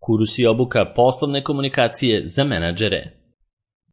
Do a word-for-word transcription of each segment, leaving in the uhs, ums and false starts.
Kurs i obuka poslovne komunikacije za menadžere.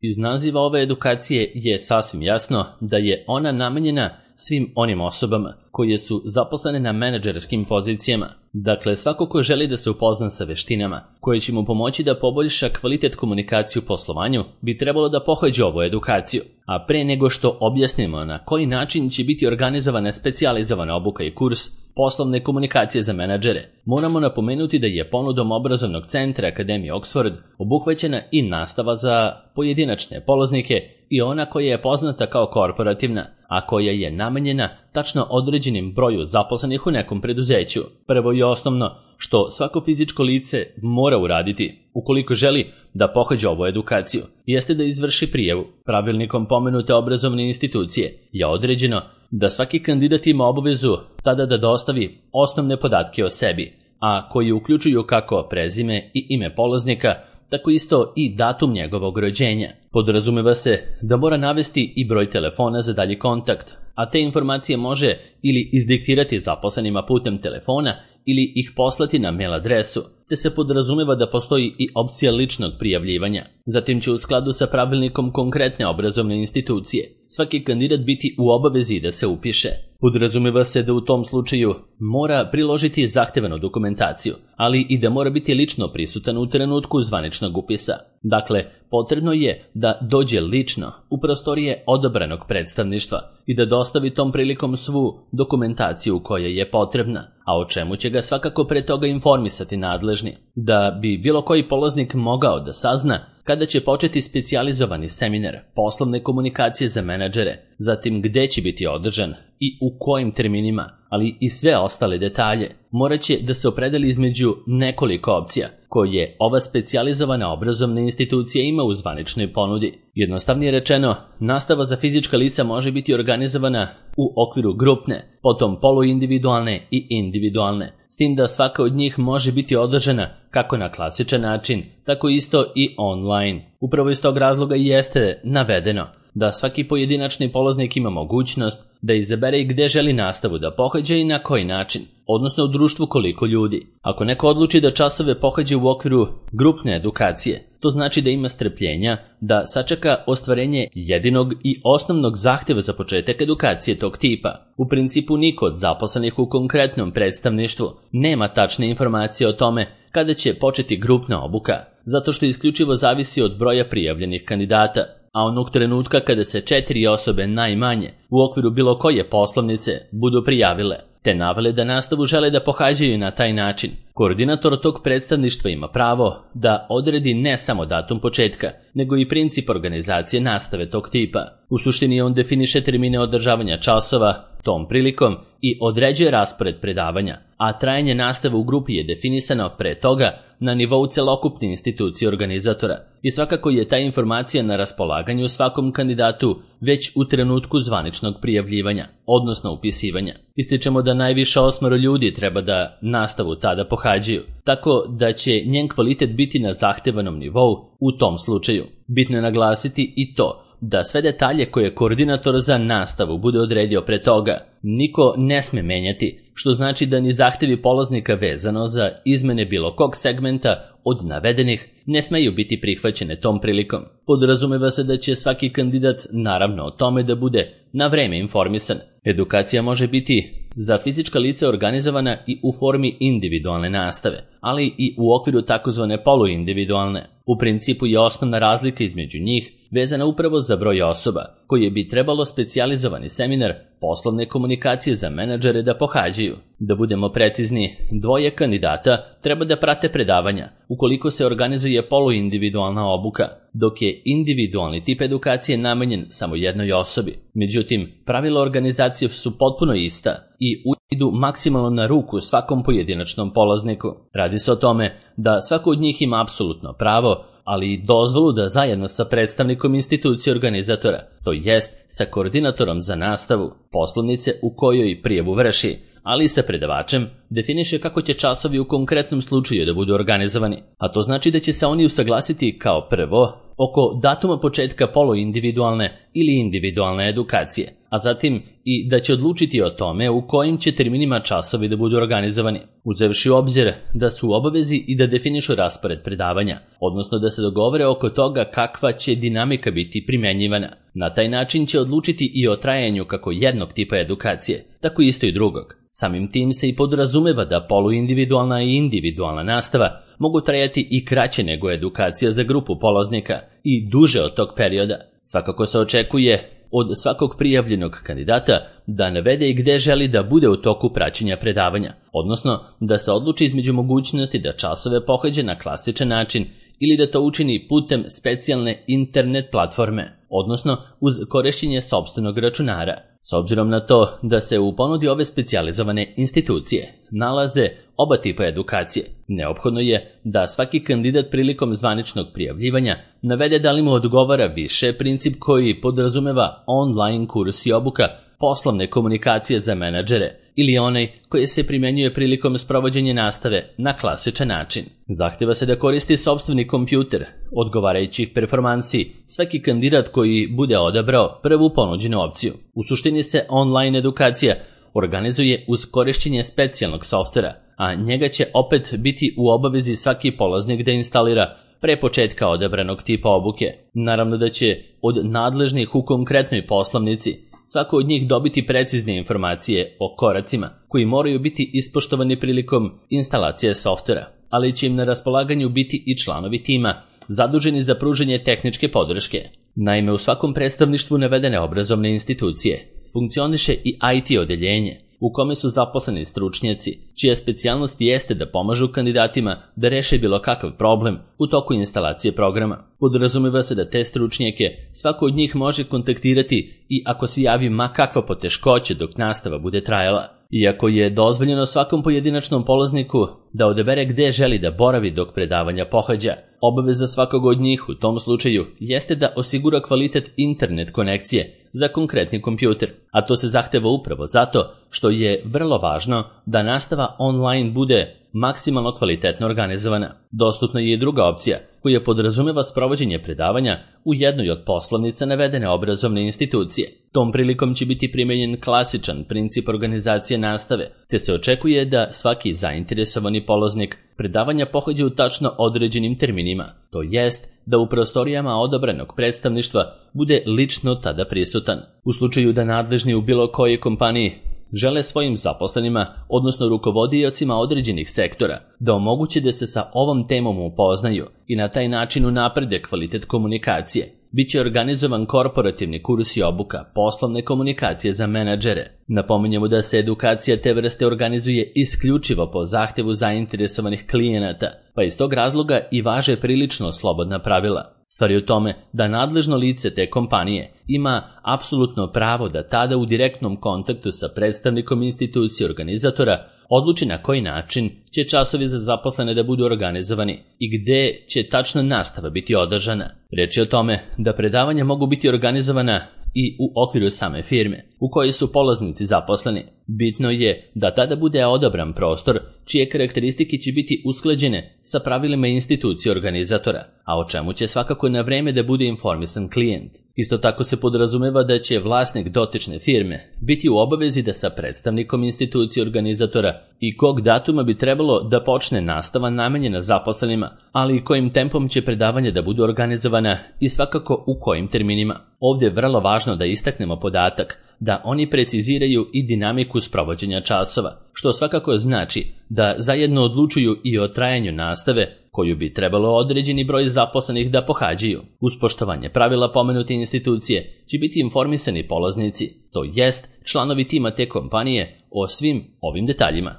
Iz naziva ove edukacije je sasvim jasno da je ona namenjena svim onim osobama koje su zaposlene na menadžerskim pozicijama. Dakle, svako ko želi da se upozna sa veštinama koje će mu pomoći da poboljša kvalitet komunikacije u poslovanju bi trebalo da pohađa ovu edukaciju. A pre nego što objasnimo na koji način će biti organizovana specijalizovana obuka i kurs poslovne komunikacije za menadžere, moramo napomenuti da je ponudom obrazovnog centra Akademije Oxford obuhvaćena i nastava za pojedinačne polaznike i ona koja je poznata kao korporativna, a koja je namenjena tačno određenim broju zaposlenih u nekom preduzeću. Prvo i osnovno što svako fizičko lice mora uraditi ukoliko želi da pohađa ovu edukaciju jeste da izvrši prijavu. Pravilnikom pomenute obrazovne institucije je određeno da svaki kandidat ima obavezu tada da dostavi osnovne podatke o sebi, a koji uključuju kako prezime i ime polaznika, tako isto i datum njegovog rođenja. Podrazumeva se da mora navesti i broj telefona za dalji kontakt, a te informacije može ili izdiktirati zaposlenima putem telefona ili ih poslati na mail adresu, te se podrazumeva da postoji i opcija ličnog prijavljivanja. Zatim će u skladu sa pravilnikom konkretne obrazovne institucije svaki kandidat biti u obavezi da se upiše. Podrazumeva se da u tom slučaju mora priložiti zahtevanu dokumentaciju, ali i da mora biti lično prisutan u trenutku zvaničnog upisa. Dakle, potrebno je da dođe lično u prostorije odabranog predstavništva i da dostavi tom prilikom svu dokumentaciju koja je potrebna, a o čemu će ga svakako pre toga informisati nadležni, da bi bilo koji polaznik mogao da sazna kada će početi specijalizovani seminar poslovne komunikacije za menadžere, zatim gde će biti održan i u kojim terminima, ali i sve ostale detalje. Morat će da se opredeli između nekoliko opcija koje ova specijalizovana obrazovna institucija ima u zvaničnoj ponudi. Jednostavnije rečeno, nastava za fizička lica može biti organizovana u okviru grupne, potom poluindividualne i individualne, s tim da svaka od njih može biti održana kako na klasičan način, tako isto i online. Upravo iz tog razloga i jeste navedeno da svaki pojedinačni polaznik ima mogućnost da izabere gde želi nastavu da pohađa i na koji način, odnosno u društvu koliko ljudi. Ako neko odluči da časove pohađa u okviru grupne edukacije, to znači da ima strpljenja da sačeka ostvarenje jedinog i osnovnog zahteva za početak edukacije tog tipa. U principu niko od zaposlenih u konkretnom predstavništvu nema tačne informacije o tome kada će početi grupna obuka, zato što isključivo zavisi od broja prijavljenih kandidata, a onog trenutka kada se četiri osobe najmanje u okviru bilo koje poslovnice budu prijavile, te navele da nastavu žele da pohađaju na taj način, koordinator tog predstavništva ima pravo da odredi ne samo datum početka, nego i princip organizacije nastave tog tipa. U suštini on definiše termine održavanja časova tom prilikom i određuje raspored predavanja, a trajanje nastave u grupi je definisano pre toga na nivou celokupne institucije organizatora i svakako je ta informacija na raspolaganju svakom kandidatu već u trenutku zvaničnog prijavljivanja, odnosno upisivanja. Ističemo da najviše osmoro ljudi treba da nastavu tada pohađaju, tako da će njen kvalitet biti na zahtevanom nivou u tom slučaju. Bitno je naglasiti i to da sve detalje koje koordinator za nastavu bude odredio pre toga niko ne sme menjati, što znači da ni zahtevi polaznika vezano za izmene bilo kog segmenta od navedenih ne smeju biti prihvaćene tom prilikom. Podrazumeva se da će svaki kandidat naravno o tome da bude na vreme informisan. Edukacija može biti za fizička lica organizovana i u formi individualne nastave, ali i u okviru takozvane poluindividualne. U principu je osnovna razlika između njih vezana upravo za broj osoba koje bi trebalo specijalizovani seminar poslovne komunikacije za menadžere da pohađaju. Da budemo precizni, dvoje kandidata treba da prate predavanja ukoliko se organizuje poluindividualna obuka, dok je individualni tip edukacije namenjen samo jednoj osobi. Međutim, pravila organizacije su potpuno ista i idu maksimalno na ruku svakom pojedinačnom polazniku. Radi se o tome da svako od njih ima apsolutno pravo, ali i dozvolu da zajedno sa predstavnikom institucije organizatora, to jest sa koordinatorom za nastavu, poslovnice u kojoj prijavu vrši, ali i sa predavačem, definiše kako će časovi u konkretnom slučaju da budu organizovani. A to znači da će se oni usaglasiti kao prvo oko datuma početka poluindividualne ili individualne edukacije, a zatim i da će odlučiti o tome u kojim će terminima časovi da budu organizovani, uzevši u obzir da su u obavezi i da definišu raspored predavanja, odnosno da se dogovore oko toga kakva će dinamika biti primenjivana. Na taj način će odlučiti i o trajanju kako jednog tipa edukacije, tako isto i drugog. Samim tim se i podrazumeva da poluindividualna i individualna nastava mogu trajati i kraće nego edukacija za grupu polaznika i duže od tog perioda. Svakako se očekuje od svakog prijavljenog kandidata da navede i gde želi da bude u toku praćenja predavanja, odnosno da se odluči između mogućnosti da časove pohađa na klasičan način ili da to učini putem specijalne internet platforme, odnosno uz korišćenje sopstvenog računara. S obzirom na to da se u ponudi ove specijalizovane institucije nalaze oba tipa edukacije, neophodno je da svaki kandidat prilikom zvaničnog prijavljivanja navede da li mu odgovara više princip koji podrazumeva online kurs i obuka poslovne komunikacije za menadžere ili onaj koji se primenjuje prilikom sprovođenja nastave na klasičan način. Zahteva se da koristi sopstveni kompjuter, odgovarajućih performansi, svaki kandidat koji bude odabrao prvu ponuđenu opciju. U suštini se online edukacija organizuje uz korišćenje specijalnog softvera, a njega će opet biti u obavezi svaki polaznik da instalira pre početka odabranog tipa obuke. Naravno da će od nadležnih u konkretnoj poslovnici svako od njih dobiti precizne informacije o koracima koji moraju biti ispoštovani prilikom instalacije softvera, ali će im na raspolaganju biti i članovi tima zaduženi za pružanje tehničke podrške. Naime, u svakom predstavništvu navedene obrazovne institucije funkcioniše i I T odeljenje u kome su zaposleni stručnjaci, čija specijalnost jeste da pomažu kandidatima da reše bilo kakav problem u toku instalacije programa. Podrazumeva se da te stručnjake svako od njih može kontaktirati i ako se javi ma kakva poteškoća dok nastava bude trajala. Iako je dozvoljeno svakom pojedinačnom polazniku da odabere gde želi da boravi dok predavanja pohađa, obaveza svakog od njih u tom slučaju jeste da osigura kvalitet internet konekcije za konkretni kompjuter, a to se zahteva upravo zato što je vrlo važno da nastava online bude maksimalno kvalitetno organizovana. Dostupna je i druga opcija koja podrazumeva sprovođenje predavanja u jednoj od poslovnica navedene obrazovne institucije. Tom prilikom će biti primenjen klasičan princip organizacije nastave, te se očekuje da svaki zainteresovani polaznik predavanja pohađa u tačno određenim terminima, to jest da u prostorijama odabranog predstavništva bude lično tada prisutan. U slučaju da nadležni u bilo kojoj kompaniji žele svojim zaposlenima, odnosno rukovodiocima određenih sektora, da omoguće da se sa ovom temom upoznaju i na taj način unaprede kvalitet komunikacije. Biće organizovan korporativni kurs i obuka poslovne komunikacije za menadžere. Napominjemo da se edukacija te vrste organizuje isključivo po zahtevu zainteresovanih klijenata, pa iz tog razloga i važe prilično slobodna pravila. Stvar je u tome da nadležno lice te kompanije ima apsolutno pravo da tada u direktnom kontaktu sa predstavnikom institucije organizatora odluči na koji način će časovi za zaposlene da budu organizovani i gde će tačna nastava biti održana. Reč je o tome da predavanja mogu biti organizovana i u okviru same firme u kojoj su polaznici zaposleni. Bitno je da tada bude odabran prostor čije karakteristike će biti usklađene sa pravilima institucije organizatora, a o čemu će svakako na vreme da bude informisan klijent. Isto tako se podrazumeva da će vlasnik dotične firme biti u obavezi da sa predstavnikom institucije organizatora i kog datuma bi trebalo da počne nastava namenjena zaposlenima, ali i kojim tempom će predavanja da budu organizovana i svakako u kojim terminima. Ovdje je vrlo važno da istaknemo podatak da oni preciziraju i dinamiku sprovođenja časova, što svakako znači da zajedno odlučuju i o trajanju nastave koju bi trebalo određeni broj zaposlenih da pohađaju. Uz poštovanje pravila pomenute institucije će biti informisani polaznici, to jest članovi tima te kompanije, o svim ovim detaljima.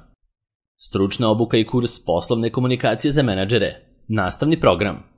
Stručna obuka i kurs poslovne komunikacije za menadžere. Nastavni program.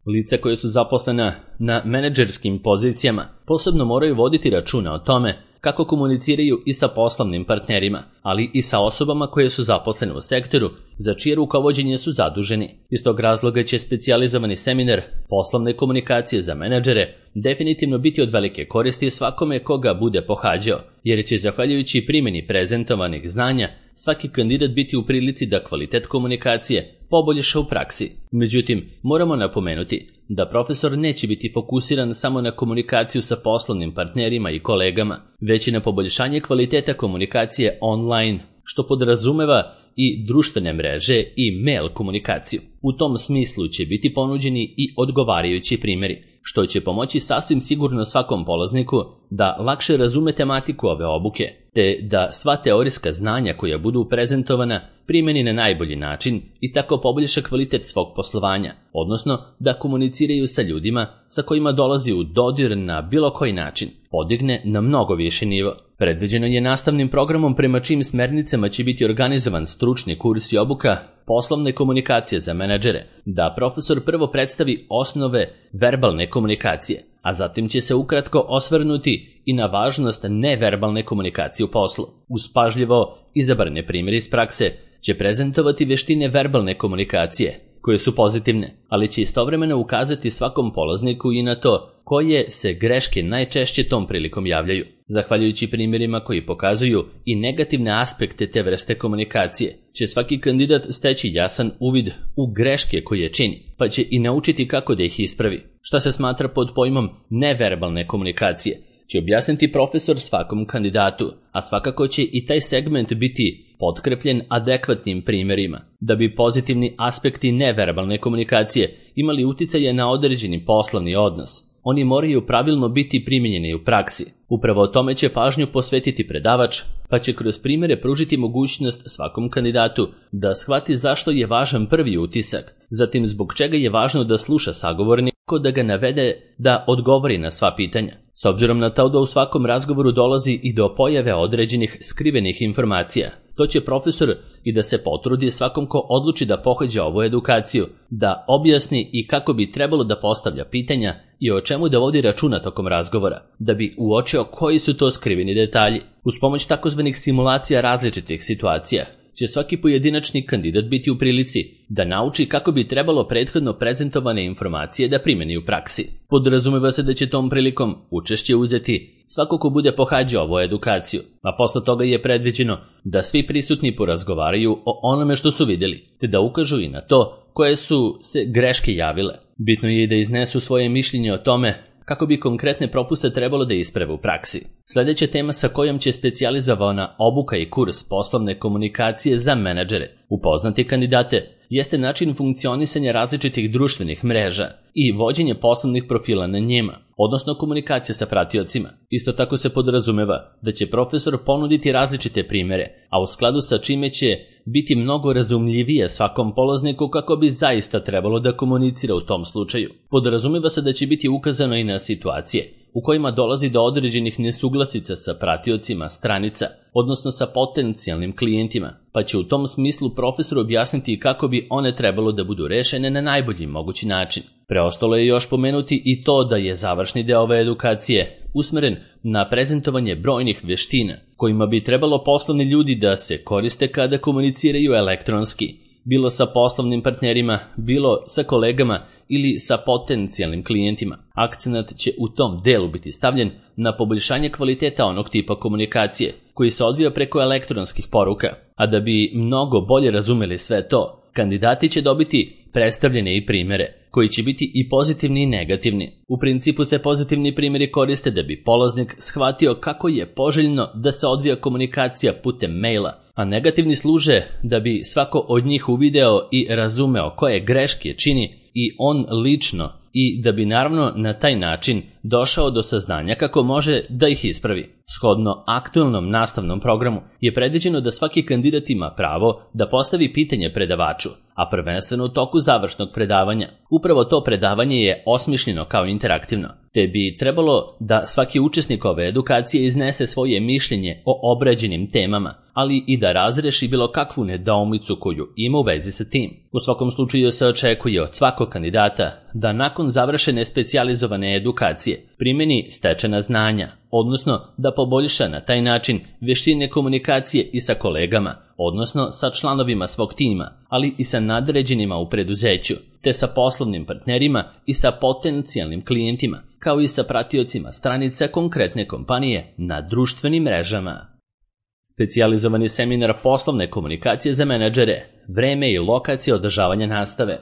Lica koje su zaposlena na menadžerskim pozicijama posebno moraju voditi računa o tome kako komuniciraju i sa poslovnim partnerima, ali i sa osobama koje su zaposlene u sektoru za čije rukovođenje su zaduženi. Iz tog razloga će specijalizovani seminar poslovne komunikacije za menadžere definitivno biti od velike koristi svakome koga bude pohađao, jer će zahvaljujući primjeni prezentovanih znanja svaki kandidat biti u prilici da kvalitet komunikacije poboljša u praksi. Međutim, moramo napomenuti da profesor neće biti fokusiran samo na komunikaciju sa poslovnim partnerima i kolegama, već i na poboljšanje kvaliteta komunikacije online, što podrazumeva i društvene mreže i mail komunikaciju. U tom smislu će biti ponuđeni i odgovarajući primjeri, što će pomoći sasvim sigurno svakom polazniku da lakše razume tematiku ove obuke, te da sva teorijska znanja koja budu prezentovana primeni na najbolji način i tako poboljša kvalitet svog poslovanja, odnosno da komuniciraju sa ljudima sa kojima dolazi u dodir na bilo koji način, podigne na mnogo više nivo. Predviđeno je nastavnim programom prema čijim smernicama će biti organizovan stručni kurs i obuka poslovne komunikacije za menadžere, da profesor prvo predstavi osnove verbalne komunikacije, a zatim će se ukratko osvrnuti i na važnost neverbalne komunikacije u poslu. Uz pažljivo izabrane primjere iz prakse će prezentovati veštine verbalne komunikacije, koje su pozitivne, ali će istovremeno ukazati svakom polazniku i na to koje se greške najčešće tom prilikom javljaju. Zahvaljujući primjerima koji pokazuju i negativne aspekte te vrste komunikacije, će svaki kandidat steći jasan uvid u greške koje čini, pa će i naučiti kako da ih ispravi. Šta se smatra pod pojmom neverbalne komunikacije, će objasniti profesor svakom kandidatu, a svakako će i taj segment biti potkrepljen adekvatnim primjerima, da bi pozitivni aspekti neverbalne komunikacije imali uticaje na određeni poslovni odnos. Oni moraju pravilno biti primijenjeni u praksi. Upravo o tome će pažnju posvetiti predavač, pa će kroz primjere pružiti mogućnost svakom kandidatu da shvati zašto je važan prvi utisak, zatim zbog čega je važno da sluša sagovornika, da ga navede da odgovori na sva pitanja. S obzirom na to da u svakom razgovoru dolazi i do pojave određenih skrivenih informacija, to će profesor i da se potrudi svakom ko odluči da pohađa ovu edukaciju, da objasni i kako bi trebalo da postavlja pitanja i o čemu da vodi računa tokom razgovora, da bi uočio koji su to skriveni detalji. Uz pomoć takozvanih simulacija različitih situacija, će svaki pojedinačni kandidat biti u prilici da nauči kako bi trebalo prethodno prezentovane informacije da primeni u praksi. Podrazumeva se da će tom prilikom učešće uzeti svako ko bude pohađao ovu edukaciju, a posle toga je predviđeno da svi prisutni porazgovaraju o onome što su vidjeli, te da ukažu i na to koje su se greške javile. Bitno je i da iznesu svoje mišljenje o tome kako bi konkretne propuste trebalo da isprave u praksi. Sljedeća tema sa kojom će specijalizovana obuka i kurs poslovne komunikacije za menadžere upoznati kandidate jeste način funkcionisanja različitih društvenih mreža i vođenje poslovnih profila na njima, odnosno komunikacija sa pratiocima. Isto tako se podrazumeva da će profesor ponuditi različite primjere, a u skladu sa čime će biti mnogo razumljivije svakom polazniku kako bi zaista trebalo da komunicira u tom slučaju. Podrazumeva se da će biti ukazano i na situacije u kojima dolazi do određenih nesuglasica sa pratiocima stranica, odnosno sa potencijalnim klijentima, pa će u tom smislu profesor objasniti kako bi one trebalo da budu rešene na najbolji mogući način. Preostalo je još pomenuti i to da je završni deo ove edukacije usmeren na prezentovanje brojnih veština kojima bi trebalo poslovni ljudi da se koriste kada komuniciraju elektronski, bilo sa poslovnim partnerima, bilo sa kolegama ili sa potencijalnim klijentima. Akcenat će u tom delu biti stavljen na poboljšanje kvaliteta onog tipa komunikacije koji se odvija preko elektronskih poruka, a da bi mnogo bolje razumeli sve to, kandidati će dobiti predstavljene i primjere koji će biti i pozitivni i negativni. U principu se pozitivni primjeri koriste da bi polaznik shvatio kako je poželjno da se odvija komunikacija putem maila, a negativni služe da bi svako od njih uvideo i razumeo koje greške čini i on lično, i da bi naravno na taj način došao do saznanja kako može da ih ispravi. Shodno aktualnom nastavnom programu je predviđeno da svaki kandidat ima pravo da postavi pitanje predavaču, a prvenstveno u toku završnog predavanja. Upravo to predavanje je osmišljeno kao interaktivno, te bi trebalo da svaki učesnik ove edukacije iznese svoje mišljenje o obrađenim temama, ali i da razreši bilo kakvu nedoumicu koju ima u vezi sa tim. U svakom slučaju se očekuje od svakog kandidata da nakon završene specijalizovane edukacije primeni stečena znanja, odnosno da poboljša na taj način vještine komunikacije i sa kolegama, odnosno sa članovima svog tima, ali i sa nadređenima u preduzeću, te sa poslovnim partnerima i sa potencijalnim klijentima, kao i sa pratiocima stranica konkretne kompanije na društvenim mrežama. Specijalizovani seminar poslovne komunikacije za menadžere, vreme i lokacija održavanja nastave.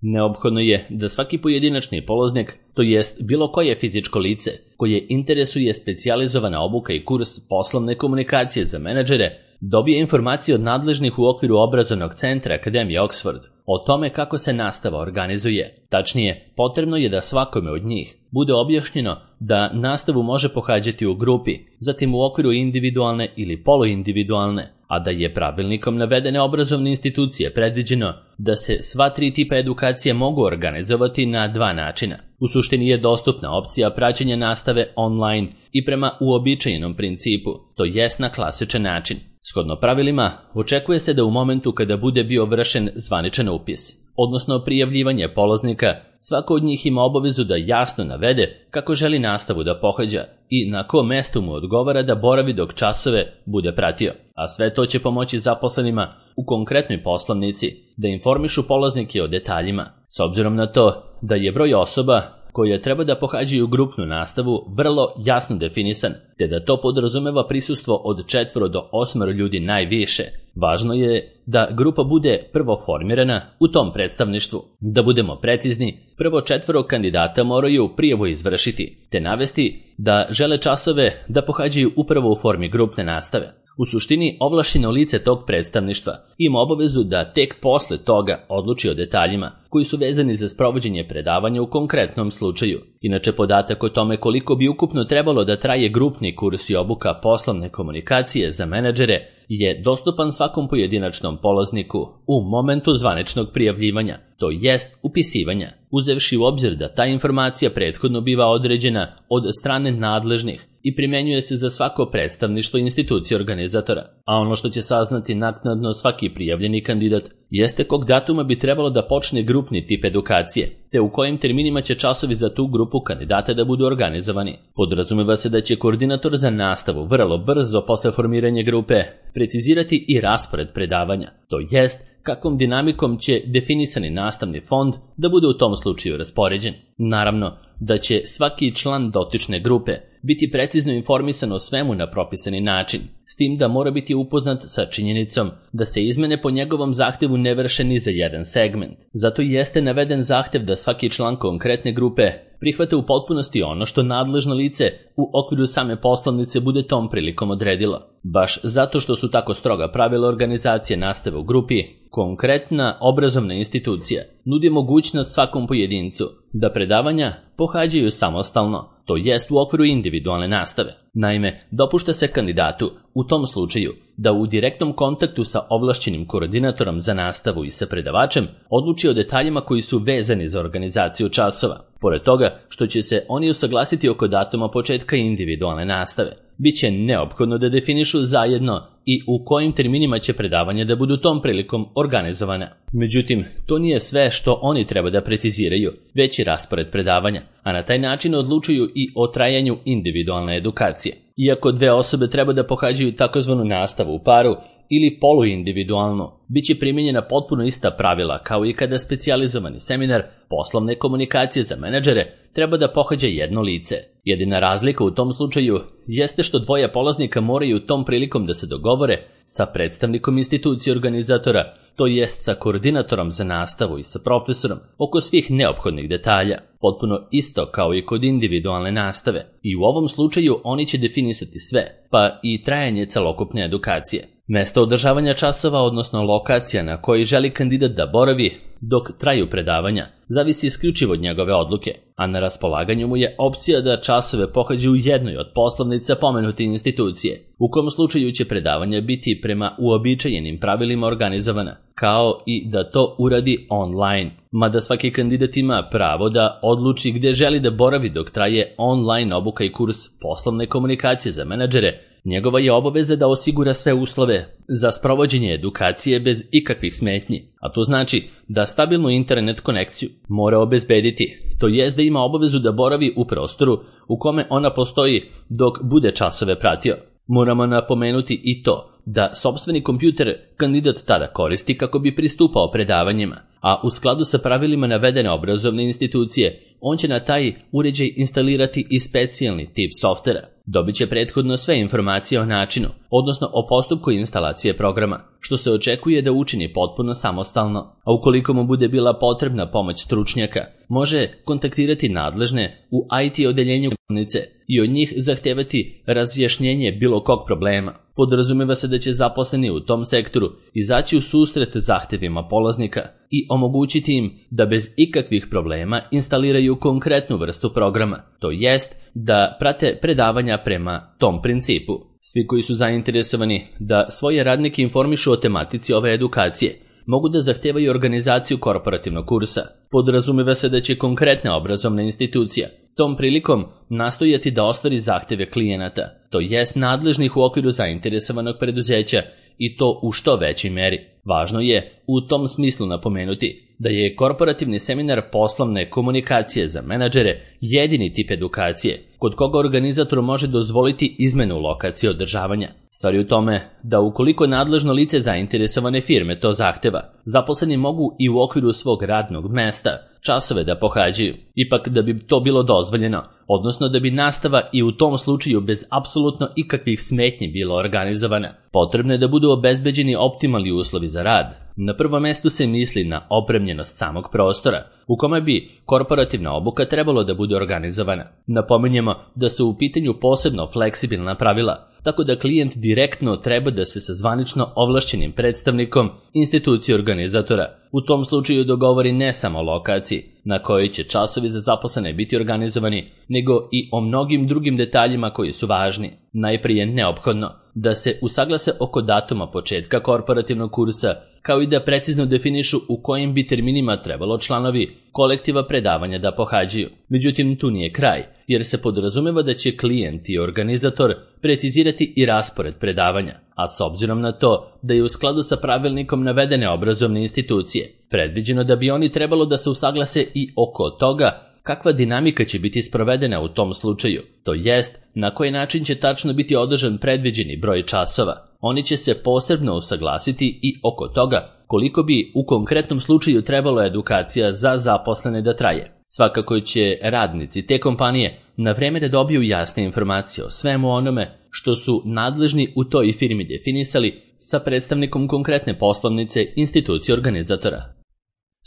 Neophodno je da svaki pojedinačni polaznik, to jest bilo koje fizičko lice koje interesuje specijalizovana obuka i kurs poslovne komunikacije za menadžere, dobije informacije od nadležnih u okviru obrazovnog centra Akademije Oxford o tome kako se nastava organizuje. Tačnije, potrebno je da svakome od njih bude objašnjeno da nastavu može pohađati u grupi, zatim u okviru individualne ili poluindividualne, a da je pravilnikom navedene obrazovne institucije predviđeno da se sva tri tipa edukacije mogu organizovati na dva načina. U suštini je dostupna opcija praćenja nastave online i prema uobičajenom principu, to jest na klasičan način. Shodno pravilima, očekuje se da u momentu kada bude bio vršen zvaničan upis, odnosno prijavljivanje polaznika, svako od njih ima obavezu da jasno navede kako želi nastavu da pohađa i na kom mestu mu odgovara da boravi dok časove bude pratio. A sve to će pomoći zaposlenima u konkretnoj poslovnici da informišu polaznike o detaljima, s obzirom na to da je broj osoba koje treba da pohađaju grupnu nastavu vrlo jasno definisan, te da to podrazumeva prisustvo od četvoro do osmero ljudi najviše. Važno je da grupa bude prvo formirana u tom predstavništvu. Da budemo precizni, prvo četvoro kandidata moraju prijavu izvršiti, te navesti da žele časove da pohađaju upravo u formi grupne nastave. U suštini, ovlašćeno lice tog predstavništva ima obavezu da tek posle toga odluči o detaljima koji su vezani za sprovođenje predavanja u konkretnom slučaju. Inače, podatak o tome koliko bi ukupno trebalo da traje grupni kurs i obuka poslovne komunikacije za menadžere je dostupan svakom pojedinačnom polazniku u momentu zvaničnog prijavljivanja, to jest upisivanja, uzevši u obzir da ta informacija prethodno biva određena od strane nadležnih i primjenjuje se za svako predstavništvo institucije organizatora. A ono što će saznati naknadno svaki prijavljeni kandidat jeste kog datuma bi trebalo da počne grupni tip edukacije, te u kojim terminima će časovi za tu grupu kandidata da budu organizovani. Podrazumeva se da će koordinator za nastavu vrlo brzo posle formiranja grupe precizirati i raspored predavanja, to jest kakvom dinamikom će definisani nastavni fond da bude u tom slučaju raspoređen. Naravno da će svaki član dotične grupe biti precizno informisan o svemu na propisani način, s tim da mora biti upoznat sa činjenicom da se izmene po njegovom zahtevu ne vrše ni za jedan segment. Zato i jeste naveden zahtev da svaki član konkretne grupe prihvate u potpunosti ono što nadležno lice u okviru same poslovnice bude tom prilikom odredilo. Baš zato što su tako stroga pravila organizacije nastave u grupi, konkretna obrazovna institucija nudi mogućnost svakom pojedincu da predavanja pohađaju samostalno, to jest u okviru individualne nastave. Naime, dopušta se kandidatu u tom slučaju da u direktnom kontaktu sa ovlašćenim koordinatorom za nastavu i sa predavačem odluči o detaljima koji su vezani za organizaciju časova. Pored toga što će se oni usaglasiti oko datuma početka individualne nastave, biće neophodno da definišu zajedno i u kojim terminima će predavanja da budu tom prilikom organizovane. Međutim, to nije sve što oni treba da preciziraju, već i raspored predavanja, a na taj način odlučuju i o trajanju individualne edukacije. Iako dve osobe treba da pohađaju takozvanu nastavu u paru ili poluindividualno, bit će primijenjena potpuno ista pravila kao i kada specijalizovani seminar poslovne komunikacije za menadžere treba da pohađa jedno lice. Jedina razlika u tom slučaju jeste što dvoje polaznika moraju tom prilikom da se dogovore sa predstavnikom institucije organizatora, to jest sa koordinatorom za nastavu i sa profesorom oko svih neophodnih detalja, potpuno isto kao i kod individualne nastave. I u ovom slučaju oni će definisati sve, pa i trajanje celokupne edukacije. Mesto održavanja časova, odnosno lokacija na koji želi kandidat da boravi dok traju predavanja, zavisi isključivo od njegove odluke, a na raspolaganju mu je opcija da časove pohađa u jednoj od poslovnica pomenute institucije, u kom slučaju će predavanja biti prema uobičajenim pravilima organizovana, kao i da to uradi online, mada svaki kandidat ima pravo da odluči gde želi da boravi dok traje online obuka i kurs poslovne komunikacije za menadžere. Njegova je obaveza da osigura sve uslove za sprovođenje edukacije bez ikakvih smetnji, a to znači da stabilnu internet konekciju mora obezbediti, to jest da ima obavezu da boravi u prostoru u kome ona postoji dok bude časove pratio. Moramo napomenuti i to da sopstveni kompjuter kandidat tada koristi kako bi pristupao predavanjima, a u skladu sa pravilima navedene obrazovne institucije, on će na taj uređaj instalirati i specijalni tip softvera. Dobit će prethodno sve informacije o načinu, odnosno o postupku instalacije programa, što se očekuje da učini potpuno samostalno, a ukoliko mu bude bila potrebna pomoć stručnjaka, može kontaktirati nadležne u I T odeljenju bolnice i od njih zahtevati razjašnjenje bilo kog problema. Podrazumeva se da će zaposleni u tom sektoru izaći u susret zahtevima polaznika i omogućiti im da bez ikakvih problema instaliraju konkretnu vrstu programa, to jest da prate predavanja prema tom principu. Svi koji su zainteresovani da svoje radnike informišu o tematici ove edukacije mogu da zahtevaju organizaciju korporativnog kursa. Podrazumeva se da će konkretna obrazovna institucija tom prilikom nastojati da ostvari zahteve klijenata, to jest nadležnih u okviru zainteresovanog preduzeća, i to u što većoj meri. Važno je u tom smislu napomenuti da je korporativni seminar poslovne komunikacije za menadžere jedini tip edukacije kod koga organizator može dozvoliti izmenu lokacije održavanja. Stvar je u tome da ukoliko nadležno lice zainteresovane firme to zahteva, zaposleni mogu i u okviru svog radnog mesta časove da pohađaju. Ipak da bi to bilo dozvoljeno, odnosno da bi nastava i u tom slučaju bez apsolutno ikakvih smetnji bila organizovana, potrebno je da budu obezbeđeni optimalni uslovi za rad. Na prvom mestu se misli na opremljenost samog prostora, u kome bi korporativna obuka trebalo da bude organizovana. Napominjemo da su u pitanju posebno fleksibilna pravila, tako da klijent direktno treba da se sa zvanično ovlašćenim predstavnikom institucije organizatora u tom slučaju dogovori ne samo o lokaciji na kojoj će časovi za zaposlene biti organizovani, nego i o mnogim drugim detaljima koji su važni. Najprije je neophodno da se usaglase oko datuma početka korporativnog kursa, kao i da precizno definišu u kojim bi terminima trebalo članovi kolektiva predavanja da pohađaju. Međutim, tu nije kraj, jer se podrazumeva da će klijent i organizator precizirati i raspored predavanja, a s obzirom na to da je u skladu sa pravilnikom navedene obrazovne institucije predviđeno da bi oni trebalo da se usaglase i oko toga kakva dinamika će biti sprovedena u tom slučaju, to jest na koji način će tačno biti održan predviđeni broj časova. Oni će se posebno usaglasiti i oko toga koliko bi u konkretnom slučaju trebalo edukacija za zaposlene da traje. Svakako će radnici te kompanije na vreme da dobiju jasne informacije o svemu onome što su nadležni u toj firmi definisali sa predstavnikom konkretne poslovnice institucije organizatora.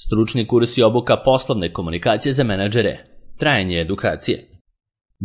Stručni kurs i obuka poslovne komunikacije za menadžere. Trajanje edukacije.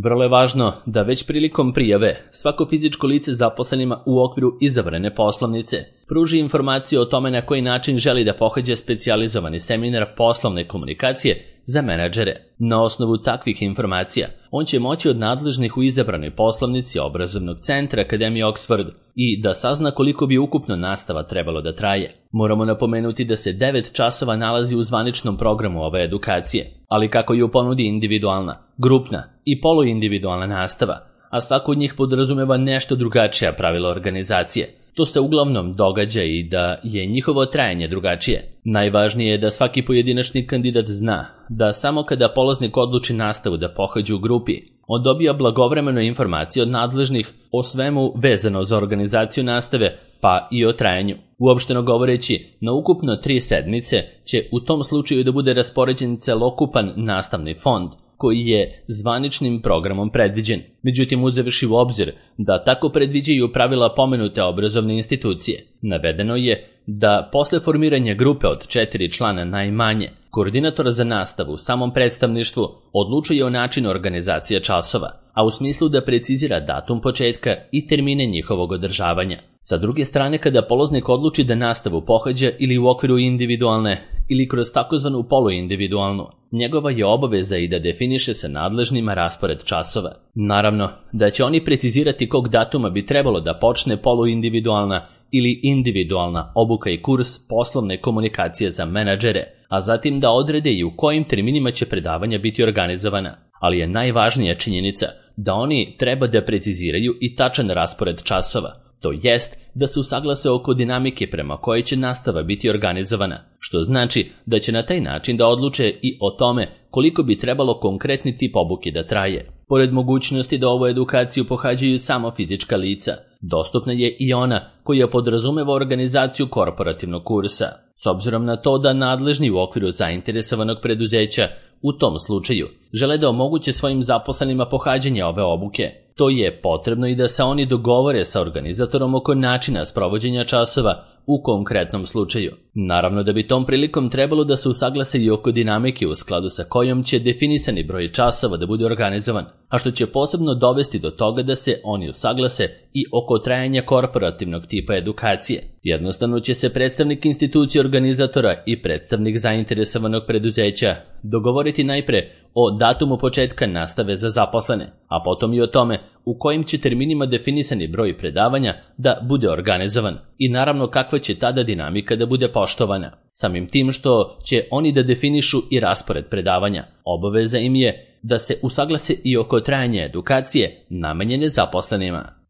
Vrlo je važno da već prilikom prijave svako fizičko lice zaposlenima u okviru izabrane poslovnice pruži informaciju o tome na koji način želi da pohađa specijalizovani seminar poslovne komunikacije za menadžere. Na osnovu takvih informacija on će moći od nadležnih u izabranoj poslovnici obrazovnog centra Akademije Oxford i da sazna koliko bi ukupno nastava trebalo da traje. Moramo napomenuti da se devet časova nalazi u zvaničnom programu ove edukacije, ali kako je u ponudi individualna, grupna i poluindividualna nastava, a svako od njih podrazumeva nešto drugačija pravila organizacije. To se uglavnom događa i da je njihovo trajanje drugačije. Najvažnije je da svaki pojedinačni kandidat zna da samo kada polaznik odluči nastavu da pohađa u grupi, on dobija blagovremeno informacije od nadležnih o svemu vezano za organizaciju nastave, pa i o trajanju. Uopšteno govoreći, na ukupno tri sedmice će u tom slučaju da bude raspoređen celokupan nastavni fond, koji je zvaničnim programom predviđen. Međutim, uzevši u obzir da tako predviđaju pravila pomenute obrazovne institucije, navedeno je da posle formiranja grupe od četiri člana najmanje, koordinator za nastavu u samom predstavništvu odlučuje o načinu organizacije časova, a u smislu da precizira datum početka i termine njihovog održavanja. Sa druge strane, kada polaznik odluči da nastavu pohađa ili u okviru individualne ili kroz takozvanu poluindividualnu, njegova je obaveza i da definiše sa nadležnima raspored časova. Naravno, da će oni precizirati kog datuma bi trebalo da počne poluindividualna ili individualna obuka i kurs poslovne komunikacije za menadžere, a zatim da odrede i u kojim terminima će predavanja biti organizovana. Ali je najvažnija činjenica da oni treba da preciziraju i tačan raspored časova, to jest da se usaglase oko dinamike prema kojoj će nastava biti organizovana, što znači da će na taj način da odluče i o tome koliko bi trebalo konkretni tip obuke da traje. Pored mogućnosti da ovu edukaciju pohađaju samo fizička lica, dostupna je i ona koja podrazumeva organizaciju korporativnog kursa. S obzirom na to da nadležni u okviru zainteresovanog preduzeća u tom slučaju žele da omoguće svojim zaposlenima pohađanje ove obuke, to je potrebno i da se oni dogovore sa organizatorom oko načina sprovođenja časova u konkretnom slučaju. Naravno da bi tom prilikom trebalo da se usaglase i oko dinamike u skladu sa kojom će definisani broj časova da bude organizovan, a što će posebno dovesti do toga da se oni usaglase i oko trajanja korporativnog tipa edukacije. Jednostavno će se predstavnik institucije organizatora i predstavnik zainteresovanog preduzeća dogovoriti najpre o datumu početka nastave za zaposlene, a potom i o tome u kojim će terminima definisani broj predavanja da bude organizovan i naravno kakva će tada dinamika da bude poštovana. Samim tim što će oni da definišu i raspored predavanja, obaveza im je da se usaglase i oko trajanja edukacije namenjene zaposlenima.